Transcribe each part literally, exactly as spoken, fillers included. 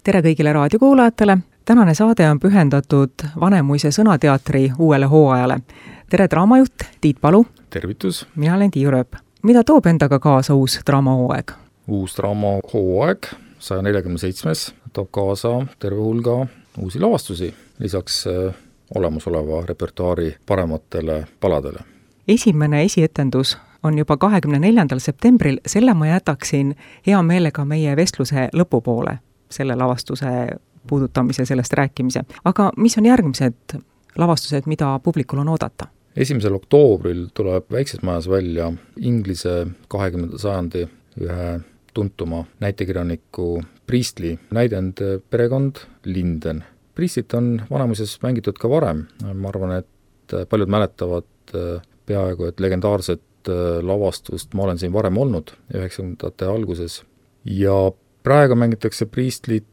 tere kõigile raadiokuulajatele! Tänane saade on pühendatud Vanemuise sõnateatri uuele hooajale. Tere draamajuht Tiit Palu! Tervitus! Mina olen Tiiu Rööp. Mida toob endaga kaasa uus draamahooaeg? Uus draamahooaeg, saja nelikümmend seitsmes, toob kaasa terve hulga uusi lavastusi, lisaks olemasoleva repertuaari parematele paladele. Esimene esietendus on juba kahekümne neljandal septembril, selle ma jätaksin hea meelega meie vestluse lõpupoole, selle lavastuse puudutamise, sellest rääkimise. Aga mis on järgmised lavastused, mida publikul on oodata? esimesel oktoobril tuleb Väikses Majas välja Inglise kahekümnenda sajandi ühe tuntuma näitekirjaniku Priestley näidend perekond Linden. Priestlit on Vanemuises mängitud ka varem. Ma arvan, et paljud mäletavad peaaegu et legendaarset lavastust Ma olen siin varem olnud üheksakümnendate alguses. Ja praegu mängitakse Priestlit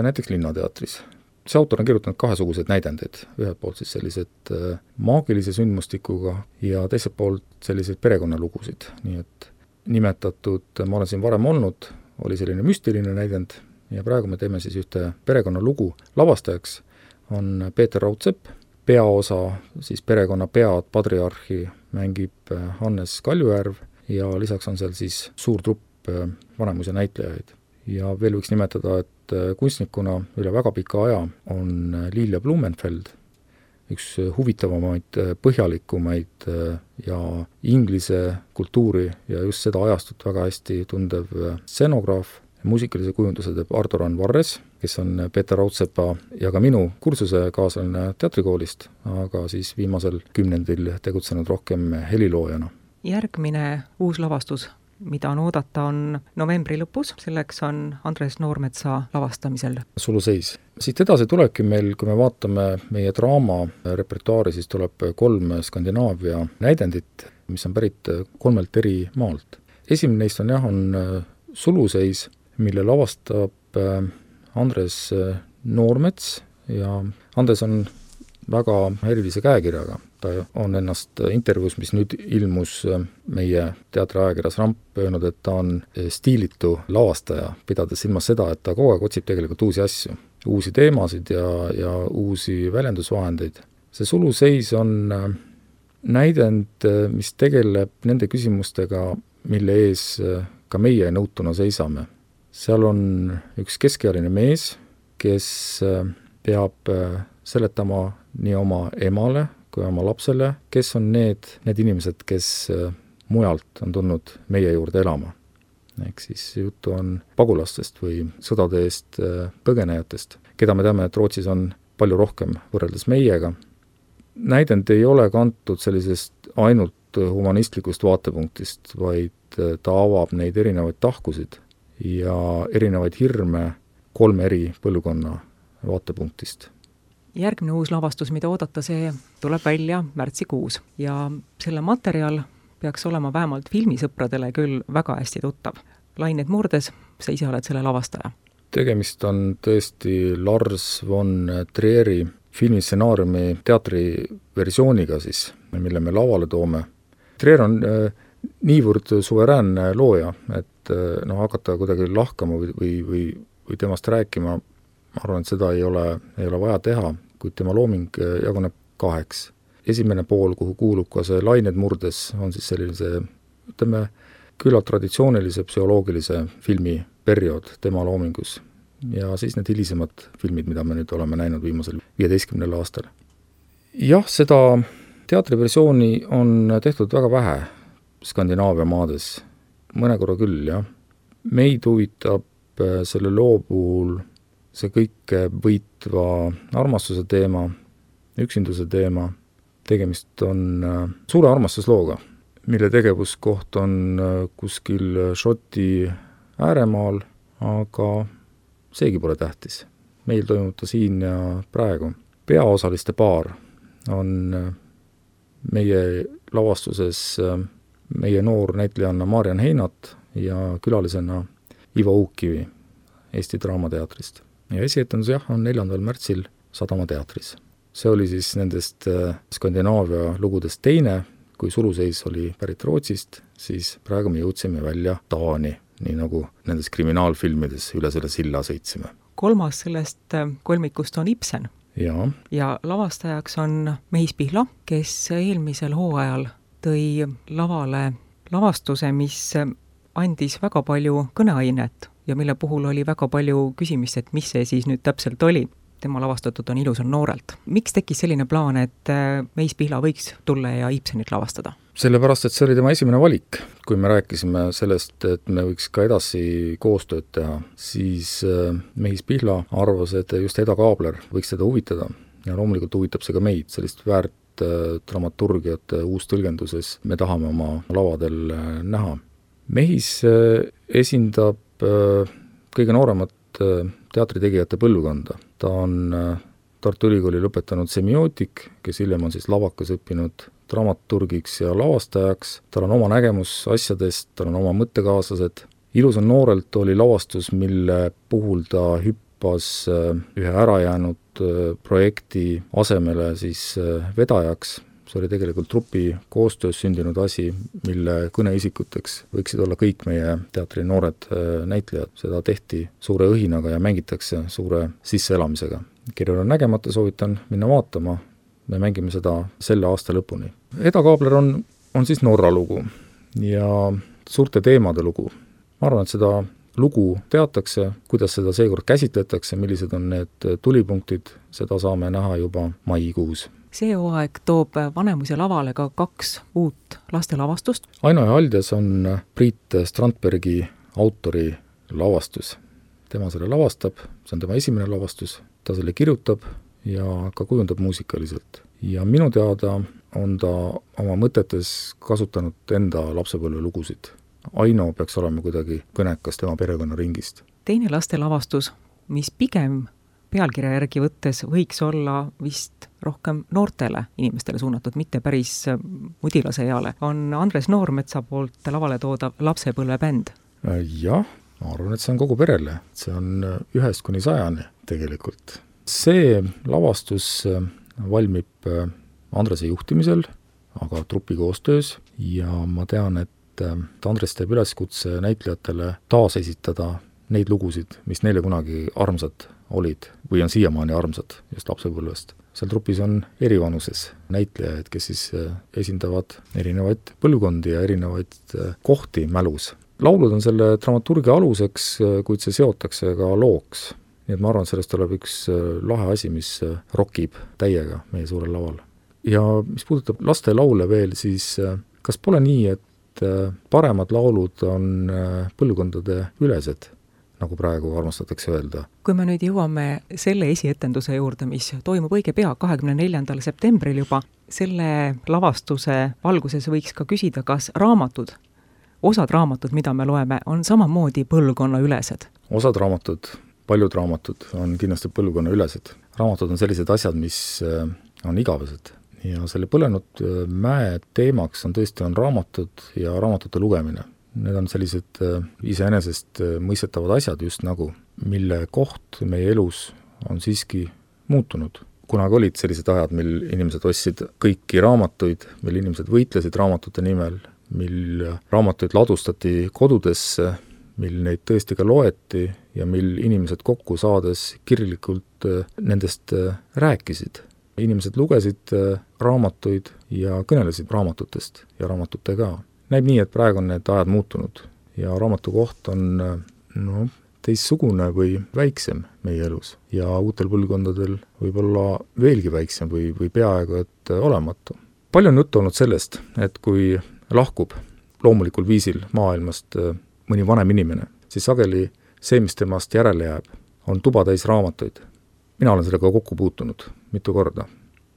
näiteks Linnateatris. See autor on kirjutanud kahesuguseid näidendeid, ühelt poolt siis sellised maagilise sündmustikuga ja teiselt poolt selliseid perekonnalugusid. Nii et nimetatud Ma olen siin varem olnud, oli selline müstiline näidend ja praegu me teeme siis ühte perekonnalugu. Lavastajaks on Peeter Raudsepp, peaosa siis perekonna pead patriarhi mängib Hannes Kaljujärv ja lisaks on seal siis suur trupp Vanemuise näitlejaid. Ja veel võiks nimetada, et kunstnikuna üle väga pika aja on Lilia Blumenfeld, üks huvitavamaid, põhjalikumaid ja inglise kultuuri ja just seda ajastut väga hästi tundev scenograaf. Muusikalise kujunduse teeb Ardoran Varres, kes on Peeter Raudsepa ja ka minu kursuse kaaslane teatrikoolist, aga siis viimasel kümnendil tegutsenud rohkem heliloojana. Järgmine uus lavastus, mida on oodata, on novembri lõpus, selleks on Andres Noormetsa lavastamisel. Suluseis. Siit edasi tulebki meil, kui me vaatame meie draama repertuaari, siis tuleb kolm Skandinaavia näidendit, mis on pärit kolmelt eri maalt. Esimene neist on jah, on Suluseis, mille lavastab Andres Noormets ja Andres on väga erilise käekirjaga. Ta on ennast intervjuus, mis nüüd ilmus meie teatriajakirjas Ramp öelnud, et ta on stiilitu lavastaja, pidades silmas seda, et ta kogu aeg otsib tegelikult uusi asju, uusi teemasid ja, ja uusi väljendusvahendeid. See Suluseis on näidend, mis tegeleb nende küsimustega, mille ees ka meie nõutuna seisame. Seal on üks keskealine mees, kes peab seletama nii oma emale kui oma lapsele, kes on need, need inimesed, kes mujalt on tulnud meie juurde elama. Ehk siis juttu on pagulastest või sõdade eest põgenejatest, keda me teame, et Rootsis on palju rohkem võrreldes meiega. Näidend ei ole kantud sellisest ainult humanistlikust vaatepunktist, vaid ta avab neid erinevaid tahkusid ja erinevaid hirme kolme eri põlvkonna vaatepunktist. Järgmine uus lavastus, mida oodata, see tuleb välja märtsikuus ja selle materjal peaks olema vähemalt filmisõpradele küll väga hästi tuttav. Lained murdes, sa ise oled selle lavastaja. Tegemist on tõesti Lars von Trieri filmistsenaariumi teatriversiooniga siis, mille me lavale toome. Trier on äh, niivõrd suveräänne looja, et äh, no, hakata kuidagi lahkama või, või, või, või temast rääkima, ma arvan, et seda ei ole, ei ole vaja teha, kuid tema looming jaguneb kaheks. Esimene pool, kuhu kuulub ka see Lained murdes, on siis sellise, ütleme, küllalt traditsioonilise psühholoogilise filmi periood tema loomingus. Ja siis need hilisemad filmid, mida me nüüd oleme näinud viimasel viieteistkümnel aastal. Jah, seda teatriversiooni on tehtud väga vähe Skandinaavia maades. Mõne korra küll, jah. Meid huvitab selle loo puhul see kõik võitva armastuse teema, üksinduse teema. Tegemist on suure armastuslooga, mille tegevuskoht on kuskil Šoti ääremaal, aga seegi pole tähtis. Meil toimub ta siin ja praegu. Peaosaliste paar on meie lavastuses meie noor näitlejanna Marian Heinat ja külalisena Ivo Uukkivi Eesti Draamateatrist. Ja esietendus jah, on neljandal märtsil Sadama teatris. See oli siis nendest Skandinaavia lugudest teine, kui Suluseis oli pärit Rootsist, siis praegu me jõudsime välja Taani, nii nagu nendes kriminaalfilmides üle selle silla sõitsime. kolmas sellest kolmikust on Ibsen. ja, ja lavastajaks on Mehis Pihla, kes eelmisel hooajal tõi lavale lavastuse, mis andis väga palju kõneainet ja mille puhul oli väga palju küsimist, et mis see siis nüüd täpselt oli. Tema lavastatud on Ilusal noorelt. Miks tekkis selline plaan, et Mehis Pihla võiks tulla ja Ibsenit lavastada? Sellepärast, et see oli tema esimene valik. Kui me rääkisime sellest, et me võiks ka edasi koostööd teha, siis Mehis Pihla arvas, et just Eda Kaabler võiks teda huvitada. Ja loomulikult huvitab see ka meid, sellist väärt dramaturgiat uus tõlgenduses me tahame oma lavadel näha. Mehis esindab kõige nooremat teatritegijate põlvkonda. Ta on Tartu Ülikooli lõpetanud semiootik, kes hiljem on siis lavakas õppinud dramaturgiks ja lavastajaks. Tal on oma nägemus asjadest, tal on oma mõttekaaslased. Ilusal noorelt oli lavastus, mille puhul ta hüppas ühe ärajäänud projekti asemele siis vedajaks. See oli tegelikult trupi koostöös sündinud asi, mille kõneisikuteks võiksid olla kõik meie teatri noored näitlejad. Seda tehti suure õhinaga ja mängitakse suure sisseelamisega. Kellel on nägemata, soovitan minna vaatama. Me mängime seda selle aasta lõpuni. Eda Kaabler on, on siis Norra lugu ja suurte teemade lugu. Ma arvan, et seda lugu teatakse, kuidas seda seekord käsitletakse, millised on need tulipunktid, seda saame näha juba maikuus. See hooaeg toob Vanemuise lavale ka kaks uut lastelavastust. Aino ja Aldjas on Priit Strandbergi autori lavastus. Tema selle lavastab, see on tema esimene lavastus, ta selle kirjutab ja ka kujundab muusikaliselt. Ja minu teada on ta oma mõtetes kasutanud enda lapsepõlve lugusid. Aino peaks olema kuidagi kõnekas tema perekonnaringist. Teine lastelavastus, mis pigem pealkirja järgi võttes võiks olla vist rohkem noortele inimestele suunatud, mitte päris mudilase eale, on Andres Noormetsa poolt lavale toodav Lapsepõlvebänd. Jah, ma arvan, et see on kogu perele. See on ühest kuni sajani tegelikult. See lavastus valmib Andrese juhtimisel, aga trupi koostöös ja ma tean, et Andres teeb üleskutse näitlejatele taas esitada neid lugusid, mis neile kunagi armsad olid või on siiamaani armsad just lapsepõlvest. Seal trupis on erivanuses näitlejaid, kes siis esindavad erinevaid põlvkondi ja erinevaid kohti mälus. Laulud on selle dramaturgia aluseks, kuid see seotakse ka looks. Nii et ma arvan, et sellest tuleb üks lahe asi, mis rokib täiega meie suurel laval. Ja mis puudutab laste laule veel, siis kas pole nii, et paremad laulud on põlvkondade ülesed, nagu praegu armastatakse öelda? Kui me nüüd jõuame selle esietenduse juurde, mis toimub õige pea kahekümne neljandal septembril juba, selle lavastuse valguses võiks ka küsida, kas raamatud, osad raamatud, mida me loeme, on samamoodi põlvkonna ülesed? Osad raamatud, paljud raamatud on kindlasti põlvkonna ülesed. Raamatud on sellised asjad, mis on igavesed. Ja selle Põlenud mäe teemaks on tõesti on raamatud ja raamatute lugemine. Need on sellised iseenesest mõistetavad asjad just nagu, mille koht meie elus on siiski muutunud. Kunagi olid sellised ajad, mil inimesed ostsid kõiki raamatuid, mil inimesed võitlesid raamatute nimel, mil raamatuid ladustati kodudesse, mil neid tõesti ka loeti ja mil inimesed kokku saades kirjalikult nendest rääkisid. Inimesed lugesid raamatuid ja kõnelesid raamatutest ja raamatute ka. Näib nii, et praegu on need ajad muutunud ja raamatu koht on no, teistsugune või väiksem meie elus ja uutel põlvkondadel võib olla veelgi väiksem või, või peaaegu et olematu. Palju on juttu olnud sellest, et kui lahkub loomulikul viisil maailmast mõni vanem inimene, siis sageli see, mis temast järele jääb, on tuba täis raamatuid. Mina olen sellega kokku puutunud mitu korda.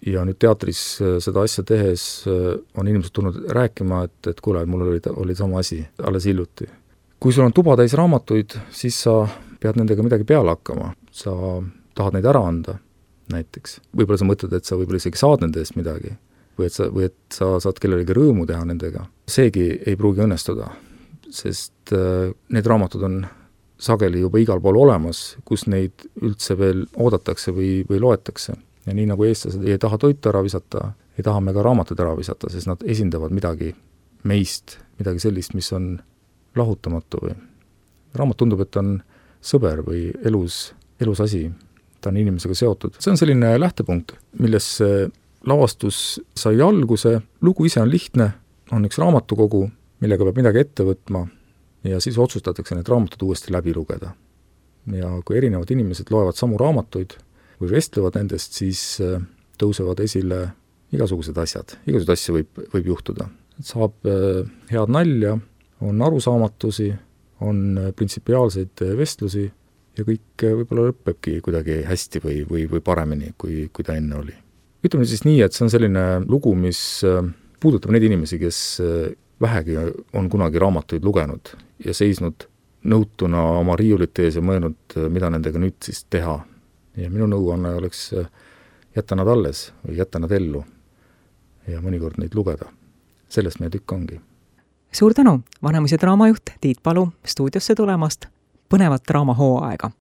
Ja nüüd teatris seda asja tehes on inimesed tulnud rääkima, et, et kuule, mul oli, oli sama asi alles hiljuti. Kui sul on tuba täis raamatuid, siis sa pead nendega midagi peale hakkama. Sa tahad neid ära anda näiteks. Võib-olla sa mõtled, et sa võib-olla isegi saad nende eest midagi või et sa, või et sa saad kellelegi rõõmu teha nendega. Seegi ei pruugi õnnestuda, sest need raamatud on sageli juba igal pool olemas, kus neid üldse veel oodatakse või, või loetakse. Ja nii nagu eestlased ei taha toitu ära visata, ei taha me ka raamatud ära visata, sest nad esindavad midagi meist, midagi sellist, mis on lahutamatu või raamat tundub, et on sõber või elus elus asi, ta on inimesega seotud. See on selline lähtepunkt, milles lavastus sai alguse, lugu ise on lihtne, on üks raamatukogu, millega peab midagi ette võtma ja siis otsustatakse need raamatud uuesti läbi lugeda. Ja kui erinevad inimesed loevad samu raamatuid või vestlevad nendest, siis tõusevad esile igasugused asjad. Igasugused asju võib, võib juhtuda. Saab head nalja, on arusaamatusi, on printsipiaalseid vestlusi ja kõik võib-olla lõppebki kuidagi hästi või, või, või paremini, kui, kui ta enne oli. Ütleme siis nii, et see on selline lugu, mis puudutab neid inimesi, kes vähegi on kunagi raamatuid lugenud ja seisnud nõutuna oma riiulite ees ja mõelnud, mida nendega nüüd siis teha. Ja minu nõuanne oleks jätta nad alles või jätta nad ellu ja mõnikord neid lugeda. Sellest meie tükk ongi. Suur tänu, Vanemuise draamajuht Tiit Palu stuudiosse tulemast põnevat draamahooaega!